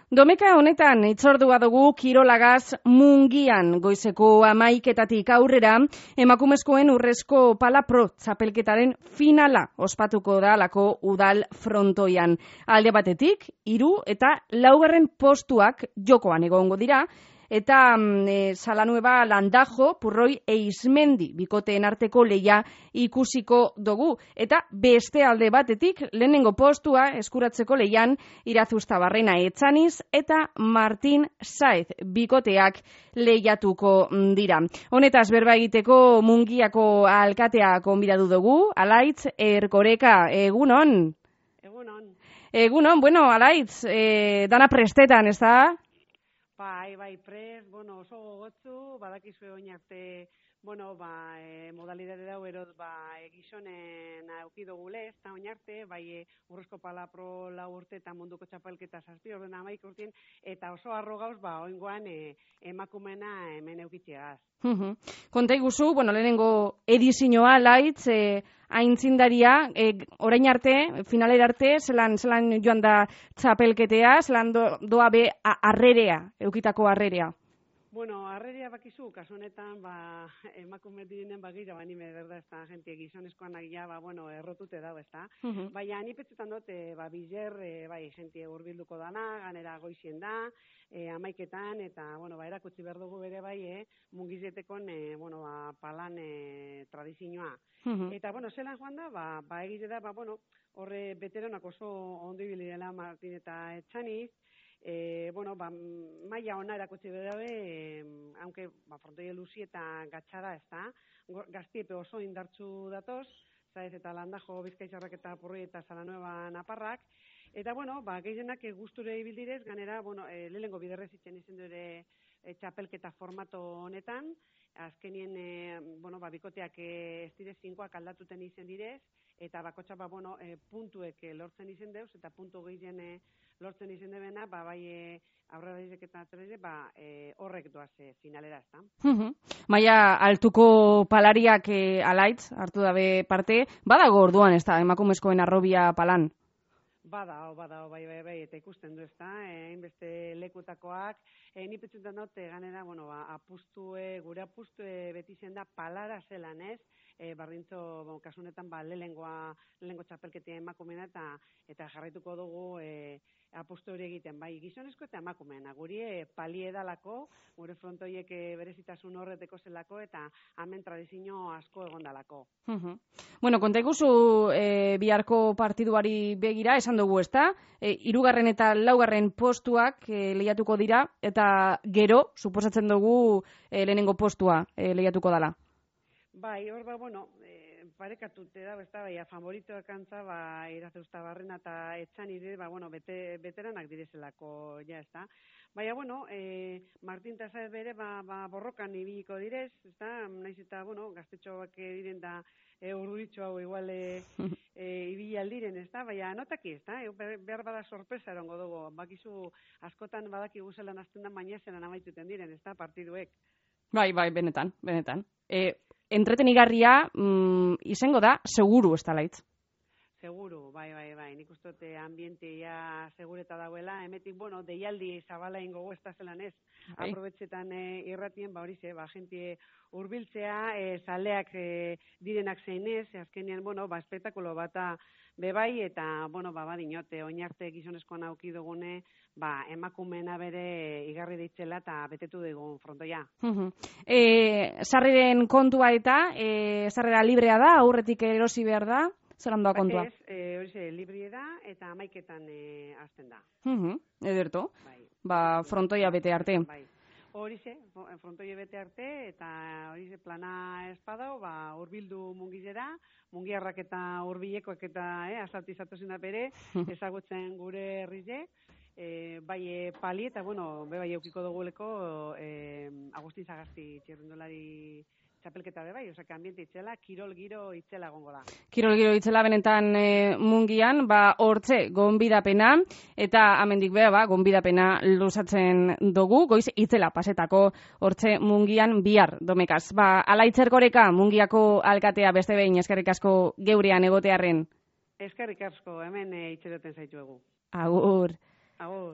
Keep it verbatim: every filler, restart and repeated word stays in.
Domeka honetan itzordua dugu kirolagaz Mungian goizeko hamaiketatik aurrera emakumezkoen urrezko pala pro txapelketaren finala ospatuko da lako udal frontoian. Alde batetik, hiru eta laugarren postuak jokoan egongo dira, eta e, Salanueva Landajo, Purroi Eizmendi bikoteen arteko leia ikusiko dugu. Eta beste alde batetik, lehenengo postua eskuratzeko leian Irazustabarrena Etxaniz eta Martin Saez bikoteak lehiatuko dira. Honetaz berba egiteko Mungiako alkatea gonbidatu dugu, Alaitz Erkoreka, egunon? Egunon. Egunon, bueno, Alaitz, e, dana prestetan, ez da? Bai, bai, prest, bueno, oso gogotzu, badakizue oin arte, bueno, ba, e, modalidade dau erot, ba, e, gizonen aukidogule, ez da oin arte, bai, e, urrezko pala pro lau urte eta munduko txapelketa zazpi orden amaik urtien, eta oso arro gauz, ba, oingoan e, emakumena hemen eukitxeaz. Konta iguzu, bueno, lehenengo edizioa, Alaitz, e, aintzindaria, e, orain arte, finalera arte, zelan, zelan joan da txapelketea, zelan do, doa be arrerea, eukitako arrerea. Bueno, arrerea bakizu, kasu honetan, ba, emakume direnen bagira, ba, nime, berda, ez da, gente gizonezkoan agia, ba, bueno, errotute dago, ez da. Uh -huh. Baina, nipetzetan dut, e, ba, bizer, e, bai, gente urbilduko dana, ganera goizien da, e, amaiketan, eta, bueno, ba, erakutsi behar dugu bere bai, e, mungizetekon, e, bueno, ba, palan e, tradizioa. Uh -huh. Eta, bueno, zelan joan da, ba, ba egite da, ba, bueno, horre beteronak oso ondo ibili dela Martin eta Etxaniz, E, bueno, ba, maia ona erakutsi berabe, e, aunque ba, frontoia luzi eta gatxada, ez da, gaztiepe oso indartzu datoz, Saez eta Landajo Bizkaitzarrak eta Purroi eta Salanueva Naparrak, eta, bueno, ba, gehienak gusture ibildirez, ganera, bueno, e, lehengo biderrez itzen izendu ere e, txapelketa formato honetan, azkenien, e, bueno, ba, bikoteak e, ez direz zinkoak aldatuten izen direz, eta bakotxa, ba, bueno, e, puntuek e, lortzen izen deuz, eta puntu gehien e, lortzen izen debena, ba, bai e, aurrera dizek eta atzera ba, e, horrek doaz e, finalera, ez da. Uh-huh. Maia, altuko palariak e, Alaitz, hartu dabe parte, badago orduan, ez da, emakumezkoen arrobia palan? Bada, bada, bai, bai, bai, eta ikusten du, ez da, hainbeste lekutakoak, e, nipetzutan dut, ganera, bueno, ba, apustue, gure apustue beti zen da palara zelan, ez? E, bardintzo, bon, kasunetan, ba, lehengoa, lehengo txapelketia emakumena, eta eta jarraituko dugu e, apustu hori egiten, bai, gizonezko eta emakumena, guri e, palie dalako, gure frontoiek e, berezitasun horreteko zelako, eta hemen tradizio asko egondalako. Uh-huh. Bueno, konta ikuzu e, biharko partiduari begira, esan dugu, ez da? E, irugarren eta laugarren postuak e, lehiatuko dira, eta gero, suposatzen dugu, e, lehenengo postua e, lehiatuko dala. Bai, hor ba, bueno, e, parekatute da, ez da, bai, favoritoak antza, ba, Irazustabarrena eta Etxaniz, ba, bueno, bete, beteranak direzelako, ja, ez da. Baina, bueno, e, Martin eta Saez bere, ba, ba, borrokan ibiliko direz, ez da, naiz eta, bueno, gaztetxoak diren da, e, urduritxo hau igual e, e, ibili aldiren, ez da, baina notaki, ez da, e, behar bada sorpresa erongo dugu, bakizu askotan badaki guzelan azten da, baina zelan amaituten diren, ez da, partiduek. Bai, bai, benetan, benetan. E, entretenigarria mm, izango da, seguru, ez da, Alaitz? Seguru, bai, bai, bai, nik ustote ambientia segureta dauela, emetik, bueno, deialdi zabala ingo ez da zelan ez, bai. Aprobetxetan e, irratien, ba hori ze, ba, gente urbiltzea, e, zaleak e, direnak zeinez, azkenean, bueno, ba, espektakulo bata bebai, eta, bueno, ba, badinote, oinarte gizonezkoan auki dugune, ba, emakumena bere igarri deitzela eta betetu dugun frontoia. Uh-huh. E, sarreren kontua eta, e, sarrera librea da, aurretik erosi behar da? Zer handoa kontua? Ez, e, hori ze, librie da eta amaiketan e, azten da. Uh-huh. Ederto, bai. Ba, frontoia bete arte. Bai. Hori ze, frontoia bete arte eta hori ze plana espadau, ba, urbildu mungizera, mungiarrak eta urbilekoak eta eh, asaltizatu zena bere, ezagutzen gure herrize, e, bai e, pali eta, bueno, be bai eukiko duguleko e, Agustin Sagasti txirrindolari txapelketa be bai, osea, ambiente itzela, kirol giro itzela gongo da. Kirol giro itzela benetan e, Mungian, ba, hortze, gonbidapena, eta amendik beha, ba, gonbidapena luzatzen dugu, goiz itzela pasetako hortze Mungian bihar, domekaz. Ba, Alaitz Erkoreka, Mungiako alkatea beste behin, eskerrik asko geurean egotearren. Eskerrik asko, hemen e, itxeroten zaituegu. Agur. Agur.